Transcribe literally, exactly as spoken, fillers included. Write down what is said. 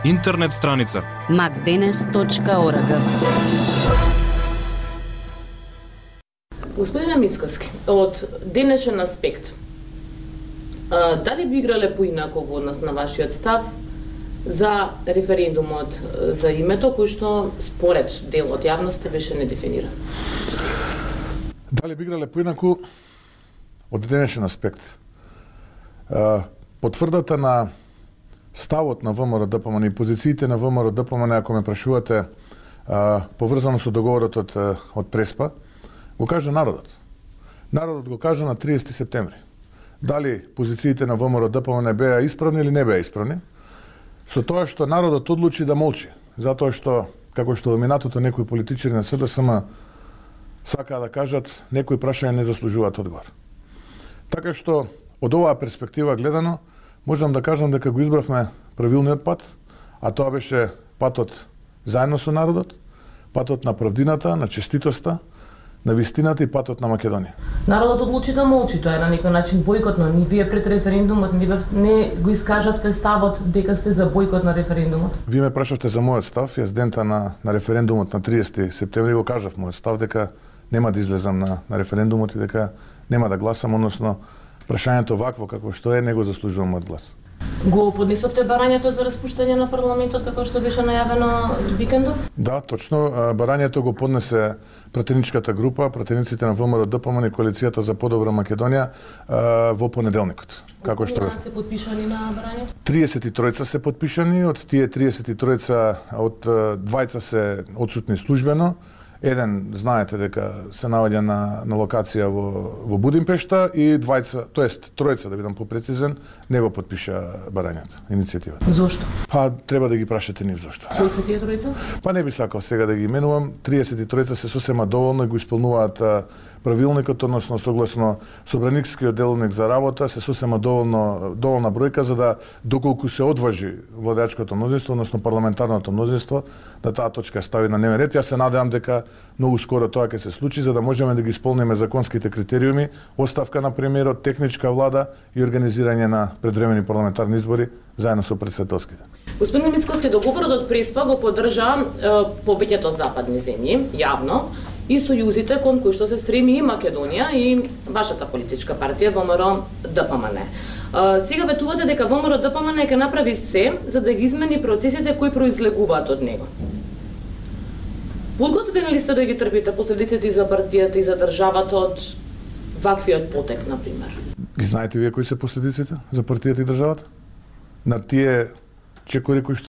Интернет страница макденес точка орг. Господине Мицкоски, од денешен аспект, дали би играле поинако во однос на вашиот став за референдумот за името, кој што според дел од јавноста беше недефиниран? Дали би играле поинако од денешен аспект? Потврдата на ставот на ВМРО-ДПМН и позициите на ВМРО-ДПМН, ако ме прашувате, поврзано со договорот од, од Преспа, го кажа народот. Народот го кажа на триесети септември. Дали позициите на ВМРО-ДПМН беа исправни или не беа исправни, со тоа што народот одлучи да молчи, затоа што, како што во минатото некои политичари на СДСМ сакаа да кажат, некои прашања не заслужуваат одговор. Така што, од оваа перспектива гледано, можам да кажам дека го избравме правилниот пат, а тоа беше патот заедно со народот, патот на правдината, на честитоста, на вистината и патот на Македонија. Народот одлучи да молчи, тоа е на некој начин бојкотно. Ни вие пред референдумот не, не го искажавте ставот дека сте за бојкот на референдумот? Вие ме прашавте за мојот став, јас дента на, на референдумот на триесети септември го кажав мојот став дека нема да излезам на, на референдумот и дека нема да гласам, односно прашањето вакво како што е не го заслужувам мојот глас. Го поднесовте барањето за распуштање на парламентот како што беше најавено викендов? Да, точно. Барањето го поднесе пратеничката група, пратениците на ВМРО-ДПМН и Коалицијата за подобра Македонија во понеделникот. Како што се подпишани на барањето? триесет и тројца се подпишани, од тие триесет и тројца од двајца се одсутни службено. Еден, знаете дека се наоѓа на, на локација во, во Будимпешта и двајца, тоест тројца, да бидам попрецизен, не го подпиша барањето, иницијативата. Зошто? Па треба да ги прашате нив зошто. Кои се тие тројца? Па не би сакал сега да ги именувам. триесет и тројца се сосема доволно и го исполнуваат правилникот, односно согласно Собраникскиот деловник за работа, се сосема доволно доволна бројка за да доколку се одважи владеачкото мнозинство, односно парламентарното мнозинство, да таа точка стави на дневен ред. Јас се надевам дека многу скоро тоа ќе се случи за да можеме да ги исполниме законските критериуми, оставка на премиерот, техничка влада и организирање на предвремени парламентарни избори заедно со претседателските. Господин Мицкоски, договорот од Преспа го поддржа е, повеќето западни земји, јавно, и сојузите кон кои што се стреми и Македонија и вашата политичка партија ВМРО-ДПМН. Сега ветувате дека ВМРО-ДПМН ќе направи се за да ги измени процесите кои произлегуваат од него. Подготвени ли сте да ги трпите последиците и за партијата и за државата од ваквиот потек, например? Ги знаете вие кои се последиците за партијата и државата? На тие чекори кои што